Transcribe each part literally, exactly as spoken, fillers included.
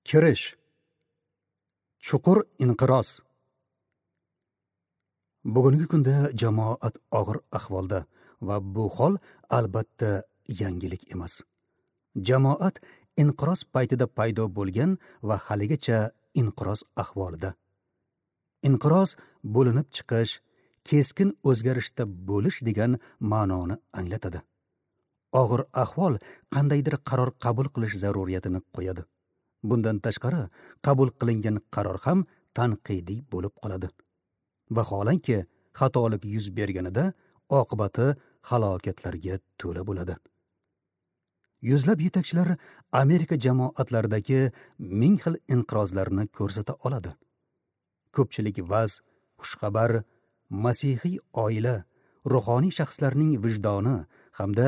Kirish. Chuqur inqiroz. Bugungi kunda jamoat og'ir ahvolda va bu hol albatta yangilik emas. Jamoat inqiroz paytida paydo bo'lgan va haligacha inqiroz ahvolida. Inqiroz bo'linib chiqish, keskin o'zgarishda bo'lish degan ma'noni anglatadi. Og'ir ahvol qandaydir qaror qabul qilish zaruriyatini qo'yadi. Bundan tashqari, qabul qilingan qaror ham tanqidiy bo'lib qoladi. Vaholanki, xatolik yuz berganida oqibati halokatlarga to'la bo'ladi. Yuzlab yetakchilar Amerika jamoatlaridagi ming xil inqirozlarni ko'rsata oladi. Ko'pchilik vaz, xushxabar, masihiy oila, ruhoniy shaxslarning vijdoni hamda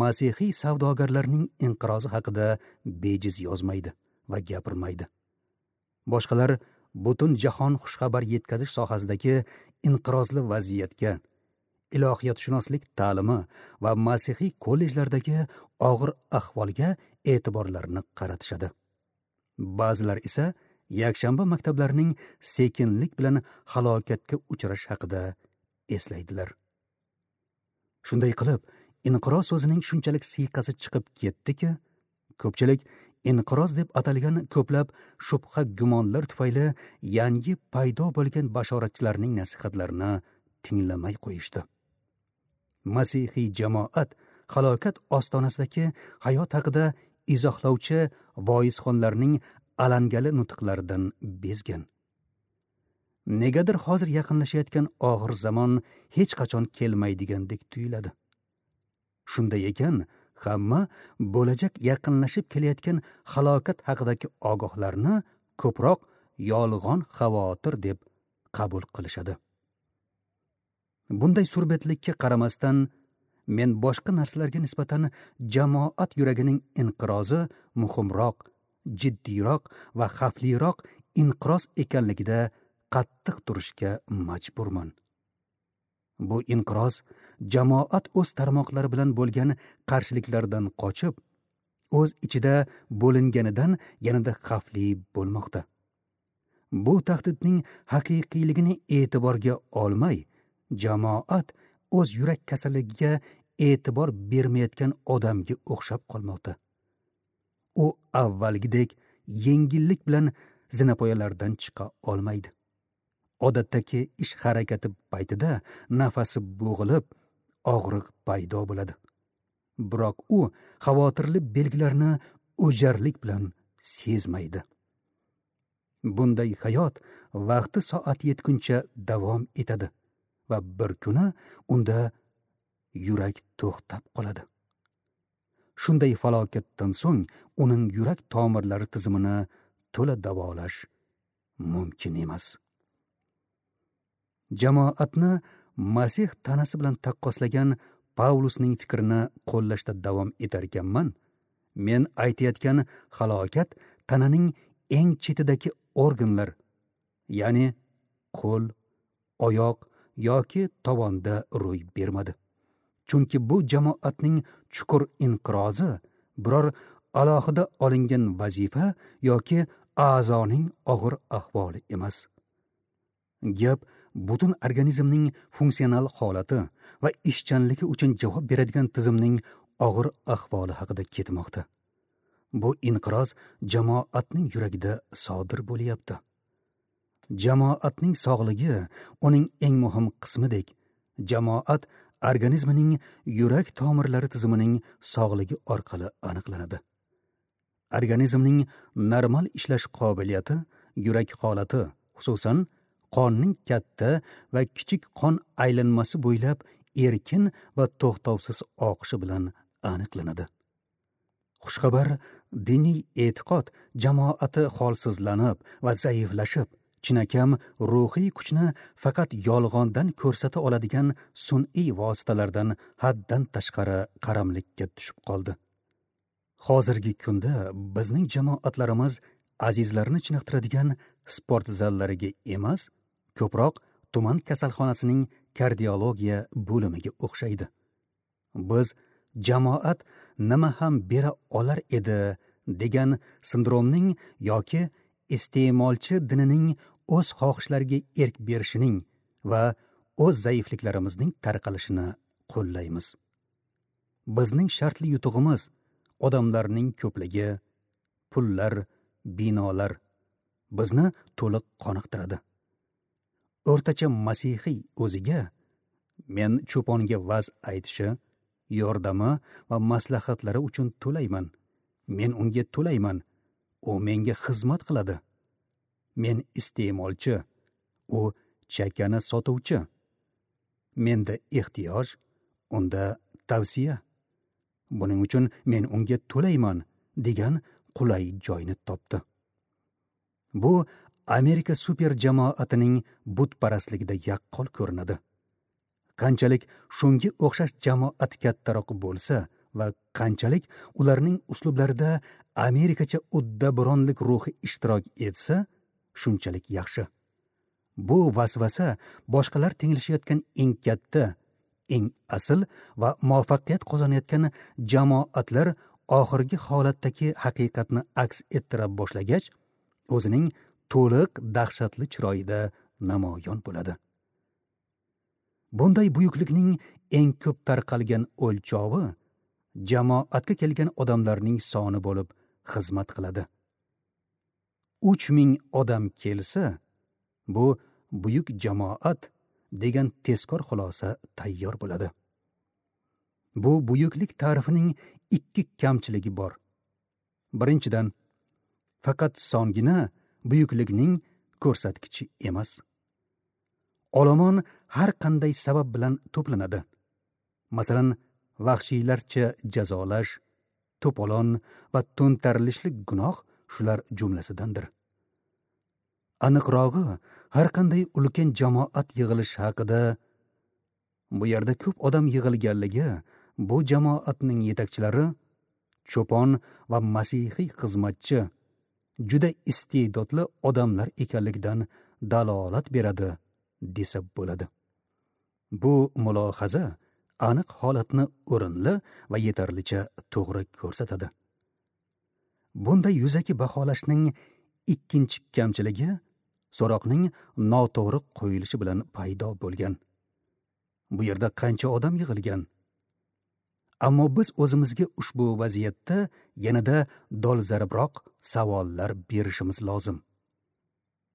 masihiy savdogarlarning inqirozi haqida bejiz yozmaydi va gapirmaydi. Boshqalar butun jahon xushxabar yetkazish sohasidagi inqirozli vaziyatga, ilohiyotshunoslik ta'limi va masihiy kollejlardagi og'ir ahvolga e'tiborlarini qaratishadi. Ba'zilar esa yakshanba maktablarining sekinlik bilan halokatga uchrash haqida eslaydilar. Shunday qilib, inqiroz so'zining shunchalik siyqasi chiqib ketdiki, ko'pchilik inqiroz deb atalgan ko'plab shubha gumonlar tufayli yangi paydo bo'lgan bashoratchilarning nasihatlarini tinglamay qo'yishdi. Masihiy jamoat halokat ostonasidagi hayot haqida izohlovchi voizxonlarning alangali nutqlaridan bezgan. Negadir hozir yaqinlashayotgan og'ir zamon hech qachon kelmaydigandek tuyuladi. Shunday ekan, hamma bo'lajak yaqinlashib kelayotgan halokat haqidagi ogohlarni ko'proq yolg'on xavotir deb qabul qilishadi. Bunday surbetlikka qaramasdan, men boshqa narsalarga nisbatan jamoat yuragining inqirozi muhimroq, jiddiyroq va xavfliroq inqiroz ekanligida qattiq turishga majburman. Bu inqiroz jamoat o'z tarmoqlari bilan bo'lgan qarshiliklardan qochib, o'z ichida bo'linganidan yanada xavfli bo'lmoqda. Bu tahdidning haqiqiyligini e'tiborga olmay, jamoat o'z yurak kasalligiga e'tibor bermayotgan odamga o'xshab qolmoqda. U avvalgidek yengillik bilan zinapoyalardan chiqa olmaydi. Odatdagi ish harakati paytida nafasi bo'g'ilib, og'riq paydo bo'ladi. Biroq u xavotirli belgilarni o'jarlik bilan sezmaydi. Bunday hayot vaqti soat yetguncha davom etadi va bir kuni unda yurak to'xtab qoladi. Shunday falokatdan so'ng uning yurak tomirlari tizimini to'la davolash mumkin emas. Jamoatni Masih tanasi bilan taqqoslagan Pavlusning fikrini qo'llashda davom etar ekanman, men aytayotgan halokat tananing eng chetidagi organlar, ya'ni qo'l, oyoq yoki tovonda ro'y bermadi. Chunki bu jamoatning chuqur inqirozi biror alohida olingan vazifa yoki a'zoning og'ir ahvoli emas. Gap butun organizmning funksional holati va ishchanligi uchun javob beradigan tizimning og'ir ahvoli haqida ketmoqda. Bu inqiroz jamoatning yuragida sodir bo'lyapti. Jamoatning sog'ligi uning eng muhim qismidek, jamoat organizmining yurak tomirlari tizimining sog'ligi orqali aniqlanadi. Organizmning normal ishlash qobiliyati yurak holati, xususan qonning katta va kichik qon aylanmasi bo'ylab erkin va to'xtovsiz oqishi bilan aniqlanadi. Xushxabar diniy e'tiqod jamoati holsizlanib va zaiflashib, chinakam ruhiy kuchni faqat yolg'ondan ko'rsata oladigan sun'iy vositalardan haddan tashqari qaramlikka tushib qoldi. Hozirgi kunda bizning jamoatlarimiz azizlarni chiniqtiradigan sport zallariga emas, ko'proq tuman kasalxonasining kardiologiya bo'limiga o'xshaydi. Biz jamoat nima ham bera olar edi degan sindromning yoki iste'molchi dinining o'z xohishlariga erk berishining va o'z zaifliklarimizning tarqalishini qo'llaymiz. Bizning shartli yutug'imiz odamlarning ko'pligi, pullar, binolar bizni to'liq qoniqtiradi. O'rtacha masihiy o'ziga men cho'ponga va'z aytishi, yordami va maslahatlari uchun to'layman. Men unga to'layman. U menga xizmat qiladi. Men iste'molchi, u chakani sotuvchi. Menda ehtiyoj, unda tavsiya. Buning uchun men unga to'layman degan qulay joyni topdi. Bu Amerika super jamoatining butparastligida yaqqol ko'rinadi. Qanchalik shunga o'xshash jamoat kattaroq bo'lsa va qanchalik ularning uslublarida Amerikacha uddaburonlik ruhi ishtirok etsa, shunchalik yaxshi. Bu vasvasa boshqalar tenglashayotgan eng katta, eng asl va muvaffaqiyat qozonayotgan jamoatlar oxirgi holatdagi haqiqatni aks ettira boshlagach, o'zining to'liq dahshatli chiroyida namoyon bo'ladi. Bunday buyuklikning eng ko'p tarqalgan o'lchovi jamoatga kelgan odamlarning soni bo'lib xizmat qiladi. uch ming odam kelsa, bu buyuk jamoat degan tezkor xulosa tayyor bo'ladi. Bu buyuklik ta'rifining ikki kamchiligi bor. Birinchidan, faqat songina buyuklikning ko'rsatkichi emas. Olomon har qanday sabab bilan to'planadi. Masalan, vahshiylarcha jazolash, to'polon va to'ntarilishlik gunoh shular jumlasidandir. Aniqrog'i, har qanday ulkan jamoat yig'ilishi haqida bu yerda ko'p odam yig'ilganligi bu jamoatning yetakchilari, cho'pon va masihiy xizmatchi juda iste'dodli odamlar ekanligidan dalolat beradi desa bo'ladi. Bu mulohaza aniq holatni o'rinli va yetarlicha to'g'ri ko'rsatadi. Bunday yuzaki baholashning ikkinchi kamchiligi so'roqning noto'g'ri qo'yilishi bilan paydo bo'lgan. Bu yerda qancha odam yig'ilgan? Ammo biz o'zimizga ushbu vaziyatda yanada dolzarbroq savollar berishimiz lozim.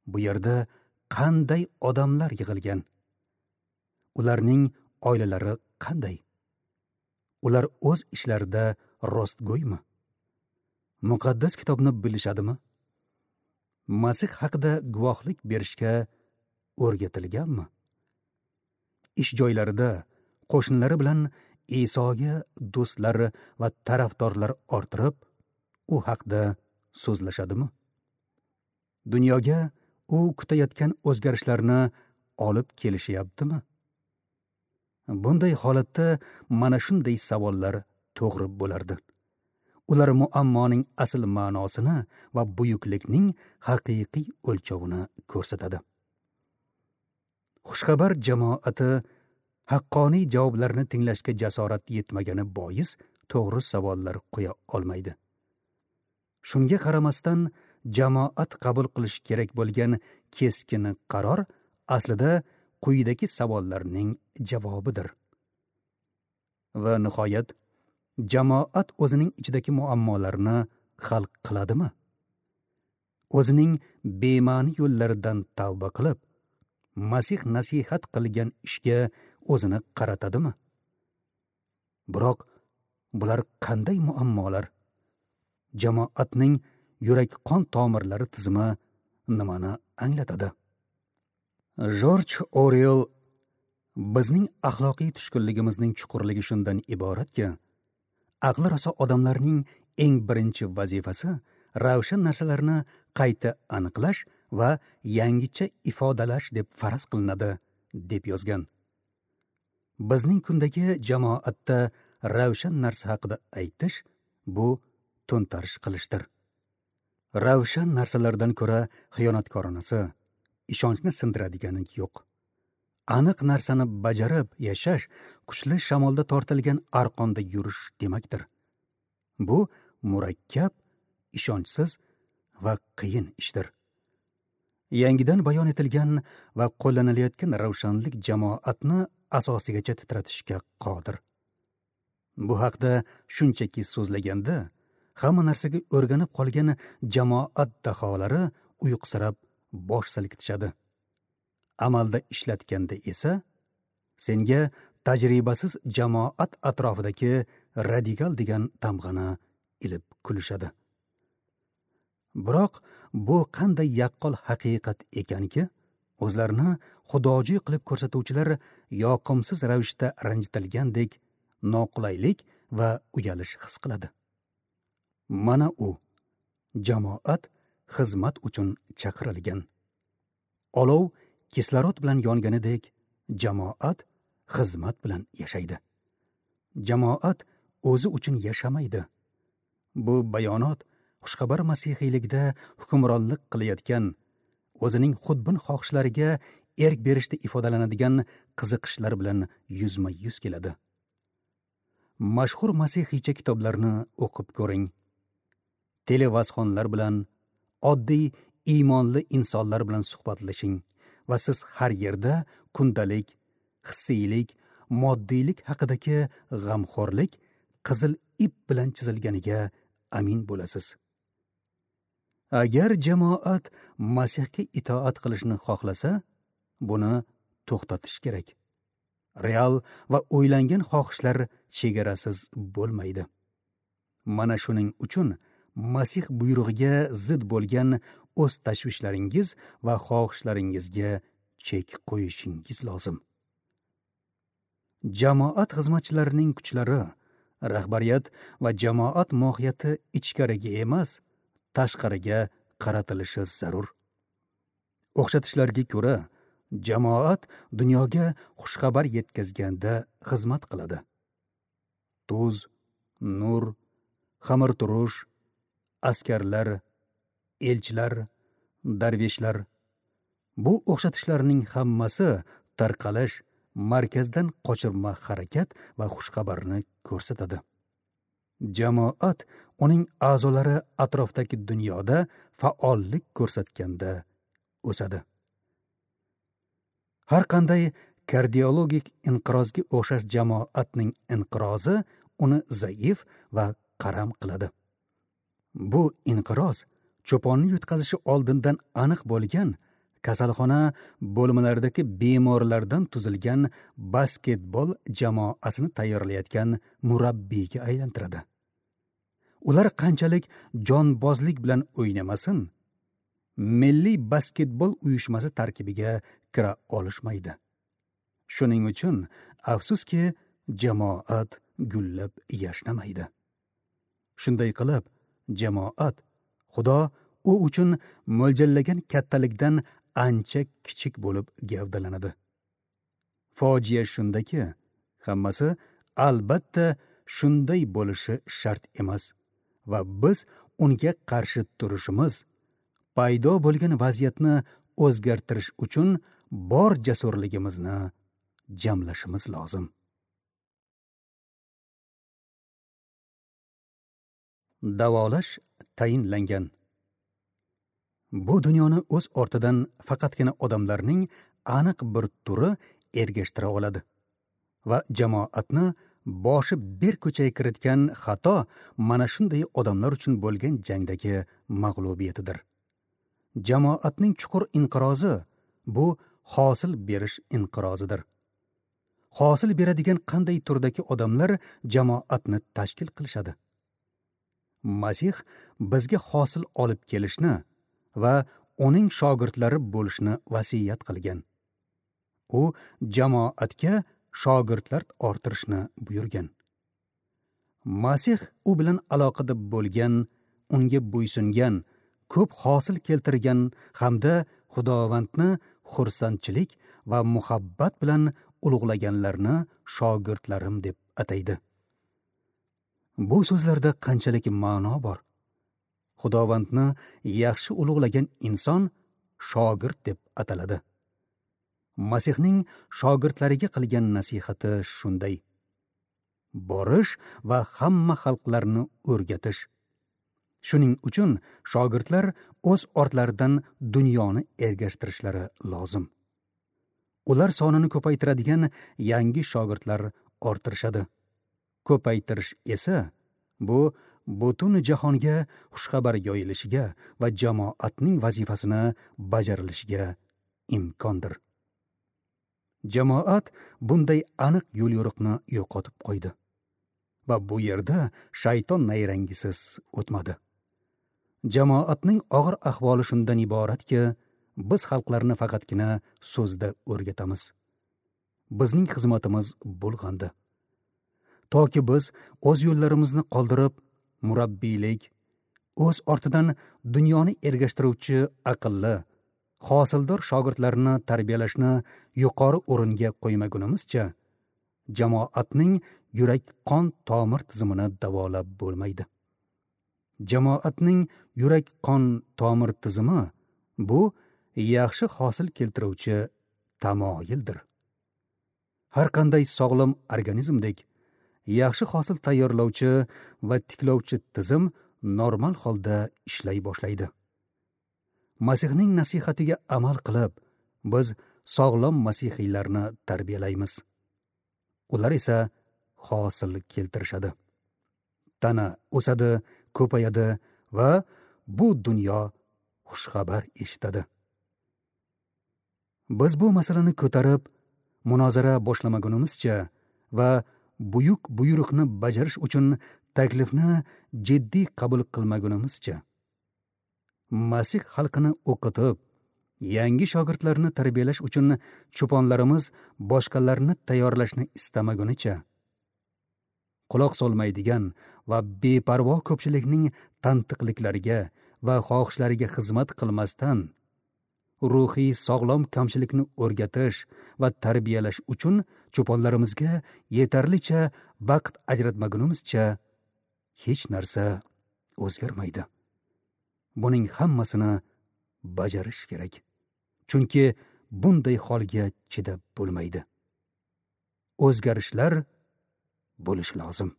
Bu yerda qanday odamlar yig'ilgan? Ularning oilalari qanday? Ular o'z ishlarida rostgo'ymi? Muqaddas kitobni bilishadimi? Masih haqida guvohlik berishga o'rgatilganmi? Ish joylarida qo'shnilari bilan Isoga do'stlari va tarafdorlar orttirib, u haqda so'zlashadimi? Dunyoga u kutayotgan o'zgarishlarni olib kelishyaptimi? Bunday holatda mana shunday savollar to'g'ri bo'lardi. Ular muammoning asl ma'nosini va buyuklikning haqiqiy o'lchovini ko'rsatadi. Xushxabar jamoati haqqoniy javoblarni tinglashga jasorat yetmagani bois to'g'ri savollar qo'ya olmaydi. Shunga qaramasdan jamoat qabul qilish kerak bo'lgan keskin qaror aslida quyidagi savollarning javobidir. Va nihoyat, jamoat o'zining ichidagi muammolarni hal qiladimi? O'zining bema'ni yo'llaridan tavba qilib, Masih nasihat qilgan ishga o'zini qaratadimi? Biroq bular qanday muammolar? Jamoatning yurak-qon tomirlari tizimi nimani anglatadi? Jorj Orwell bizning axloqiy tushkunligimizning chuqurligi shundan iboratki, aqli raso odamlarning eng birinchi vazifasi ravshan narsalarni qayta aniqlash va yangicha ifodalash deb faraz qilinadi, deb yozgan. Bizning kundagi jamoatda ravshan narsa haqida aytish bu to'ntarish qilishdir. Ravshan narsalardan ko'ra xiyonatkoronasi, ishonchni sindiradigani yo'q. Aniq narsani bajarib yashash kuchli shamolda tortilgan arqonda yurish demakdir. Bu murakkab, ishonchsiz va qiyin ishdir. Yangidan bayon etilgan va qo'llanilayotgan ravshanlik jamoatni asosigacha titratishga qodir. Bu haqda shunchaki so'zlaganda hamma narsaga o'rganib qolgan jamoat daholari uyqusirab bosh silkitishadi. Amalda ishlatganda esa senga tajribasiz jamoat atrofidagi radikal degan tamg'ani ilib kulishadi. Biroq bu qanday yaqqol haqiqat ekanki, o'zlarini xudojo'y qilib ko'rsatuvchilar yoqimsiz ravishda ranjitilgandek noqulaylik va uyalish his qiladi. Mana u jamoat xizmat uchun chaqirilgan. Olov kislorod bilan yonganidek, jamoat xizmat bilan yashaydi. Jamoat o'zi uchun yashamaydi. Bu bayonot xushxabar masihiylikda hukmronlik qilayotgan, o'zining xudbin xohishlariga erk berishda ifodalanadigan qiziqishlar bilan yuzma-yuz keladi. Mashhur masihiycha kitoblarni o'qib ko'ring. Televazxonlar bilan, oddiy iymonli insonlar bilan suhbatlashing va siz har yerda kundalik, hissiylik, moddiylik haqidagi g'amxo'rlik qizil ip bilan chizilganiga amin bo'lasiz. Agar jamoat Masihga itoat qilishni xohlasa, buni to'xtatish kerak. Real va o'ylangan xohishlar chegarasiz bo'lmaydi. Mana shuning uchun Masih buyrug'iga zid bo'lgan o'z tashvishlaringiz va xohishlaringizga chek qo'yishingiz lozim. Jamoat xizmatchilarining kuchlari, rahbariyat va jamoat mohiyati ichkariga emas, tashqariga qaratilishi zarur. O'xshatishlarga ko'ra, jamoat dunyoga xushxabar yetkazganda xizmat qiladi. Tuz, nur, xamirturush, askarlar, elchilar, darveshlar bu o'xshatishlarning hammasi tarqalish, markazdan qochirma harakat va xushxabarni ko'rsatadi. Jamoat uning a'zolari atrofdagi dunyoda faollik ko'rsatganda o'sadi. Har qanday kardiologik inqirozga o'xshash jamoatning inqirozi uni zaif va qaram qiladi. Bu inqiroz cho'ponni yutqazishi oldindan aniq bo'lgan kasalxona bo'limlaridagi bemorlardan tuzilgan basketbol jamoasini tayyorlayotgan murabbiyga aylantiradi. Ular qanchalik jonbozlik bilan o'ynamasin, milliy basketbol uyushmasi tarkibiga kira olishmaydi. Shuning uchun afsuski jamoat gullab yashnamaydi. Shunday qilib, jamoat Xudo u uchun mo'ljallagan kattalikdan ancha kichik bo'lib gavdalanadi. Fojia shundaki, hammasi albatta shunday bo'lishi shart emas va biz unga qarshi turishimiz, paydo bo'lgan vaziyatni o'zgartirish uchun bor jasurligimizni jamlashimiz lozim. Davolash tayinlangan. Bu dunyoni o'z ortidan faqatgina odamlarning aniq bir turi ergashtira oladi va jamoatni boshi bir ko'chaga kiritgan xato mana shunday odamlar uchun bo'lgan jangdagi mag'lubiyatidir. Jamoatning chuqur inqirozi bu hosil berish inqirozidir. Hosil beradigan qanday turdagi odamlar jamoatni tashkil qilishadi? Masih bizga hosil olib kelishni va uning shogirdlari bo'lishni vasiyat qilgan. U jamoatga shogirdlar orttirishni buyurgan. Masih u bilan aloqada bo'lgan, unga bo'ysungan, ko'p hosil keltirgan hamda Xudovandni xursandchilik va muhabbat bilan ulug'laganlarni shogirdlarim deb ataydi. Bu so'zlarda qanchalik ma'no bor? Xudovandni yaxshi ulug'lagan inson shogird deb ataladi. Masihning shogirdlariga qilgan nasihati shunday: borish va hamma xalqlarni o'rgatish. Shuning uchun shogirdlar o'z ortlaridan dunyoni ergashtirishlari lozim. Ular sonini ko'paytiradigan yangi shogirdlar orttirishadi. Ko'paytirish esa bu butun jahonga xushxabar yoyilishiga va jamoatning vazifasini bajarilishiga imkondir. Jamoat bunday aniq yo'l-yo'riqni yo'qotib qo'ydi va bu yerda shayton nayrangisiz o'tmadi. Jamoatning og'ir ahvoli shundan iboratki, biz xalqlarni faqatgina so'zda o'rgatamiz. Bizning xizmatimiz bo'lg'andi. Toki biz o'z yo'llarimizni qoldirib, murabbiylik, o'z ortidan dunyoni ergashtiruvchi aqlli, hosildor shogirdlarni tarbiyalashni yuqori o'ringa qo'ymagunimizcha, jamoatning yurak-qon tomir tizimini davolab bo'lmaydi. Jamoatning yurak-qon tomir tizimi bu yaxshi hosil keltiruvchi tamoyildir. Har qanday sog'lom organizmdek yaxshi hosil tayyorlovchi va tiklovchi tizim normal holda ishlay boshlaydi. Masihning nasihatiga amal qilib, biz sog'lom masihiylarni tarbiyalaymiz. Ular esa hosil keltirishadi. Tana o'sadi, ko'payadi va bu dunyo xushxabar eshitadi. Biz bu masalani ko'tarib, munozara boshlamagunimizcha va buyuk buyruqni bajarish uchun taklifni jiddiy qabul qilmagunimizcha, Masih xalqini o'qitib, yangi shogirdlarni tarbiyalash uchun cho'ponlarimiz boshqalarni tayyorlashni istamagunicha, quloq solmaydigan va beparvo ko'pchilikning tantiqliklariga va xohishlariga xizmat qilmasdan, ruhiy sog'lom kamchilikni o'rgatish va tarbiyalash uchun cho'ponlarimizga yetarlicha vaqt ajratmagunimizcha hech narsa o'zgarmaydi. Buning hammasini bajarish kerak. Chunki bunday holga chidab bo'lmaydi. O'zgarishlar bo'lishi lozim.